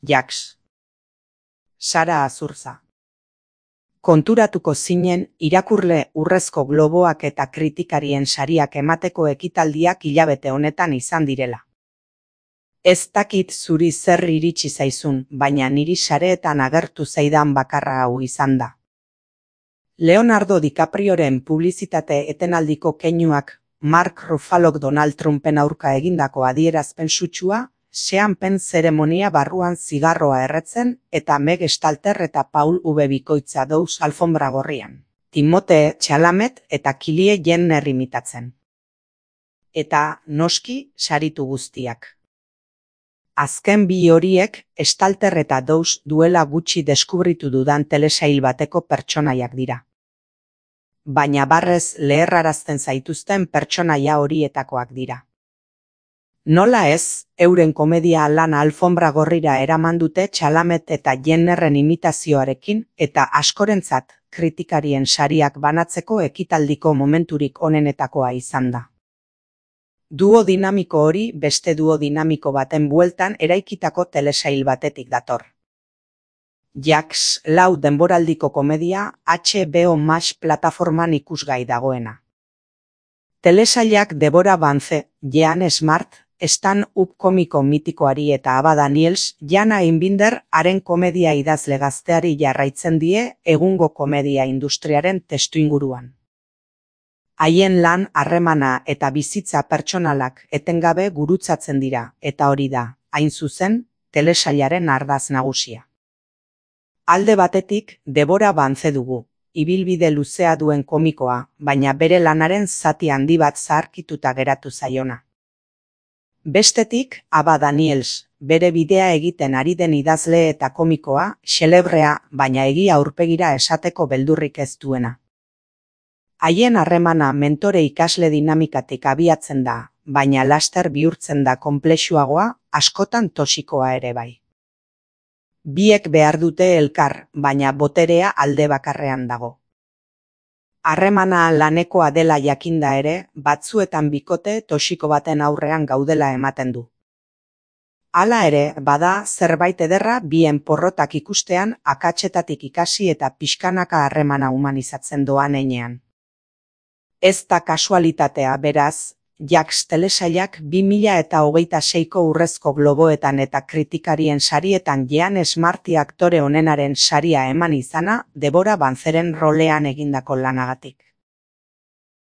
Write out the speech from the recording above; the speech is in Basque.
Jacques. Sara Azurza. Konturatuko zinen irakurle Urrezko Globoak eta kritikarien sariak emateko ekitaldiak hilabete honetan izan direla. Ez dakit zuri zer iritsi zaizun, baina niri sareetan agertu zaidan bakarra hau izan da. Leonardo DiCaprioren publizitate etenaldiko keinuak Mark Ruffalok Donald Trumpen aurka egindako adierazpen sutsua, seanpen zeremonia barruan zigarroa erretzen eta Meg Stalter eta Paul V. Bikoitza dauz alfombra gorrian. Timothée Chalamet eta Kylie Jenner imitatzen. Eta, noski, saritu guztiak. Azken bi horiek Stalter eta dauz duela gutxi deskubritu dudan telesail bateko pertsonaiak dira. Baina barrez leherrarazten zaituzten pertsonaia horietakoak dira. Nola ez, euren komedia lana alfombra gorrira eraman dute Chalamet eta Jennerren imitazioarekin eta askorentzat kritikarien sariak banatzeko ekitaldiko momenturik onenetakoa izan da. Duo dinamiko hori beste duo dinamiko baten bueltan eraikitako telesail batetik dator. Jacques lau denboraldiko komedia HBO Max plataforman ikusgai dagoena. Telesailak Deborah Vance, Jean Smart, Stan Up komiko mitikoari eta Ava Daniels, Jana Einbinder haren komedia idazle gazteari jarraitzen die egungo komedia industriaren testuinguruan. Haien lan, harremana eta bizitza pertsonalak etengabe gurutzatzen dira, eta hori da, hain zuzen, telesailaren ardatz nagusia. Alde batetik, Deborah Vance dugu, ibilbide luzea duen komikoa, baina bere lanaren zati handi bat zaharkituta geratu zaiona. Bestetik, Ava Daniels, bere bidea egiten ari den idazle eta komikoa, xelebrea, baina egia aurpegira esateko beldurrik ez duena. Haien harremana mentore-ikasle dinamikatik abiatzen da, baina laster bihurtzen da konplexuagoa, askotan toxikoa ere bai. Biek behar dute elkar, baina boterea alde bakarrean dago. Harremana lanekoa dela jakinda ere, batzuetan bikote toxiko baten aurrean gaudela ematen du. Hala ere, bada zerbait ederra bien porrotak ikustean akatsetatik ikasi eta pixkanaka harremana humanizatzen doan heinean. Ez da kasualitatea beraz, Jacques telesailak 2026ko Urrezko Globoetan eta kritikarien sarietan Jean Smarty aktore onenaren saria eman izana Deborah Vanceren rolean egindako lanagatik.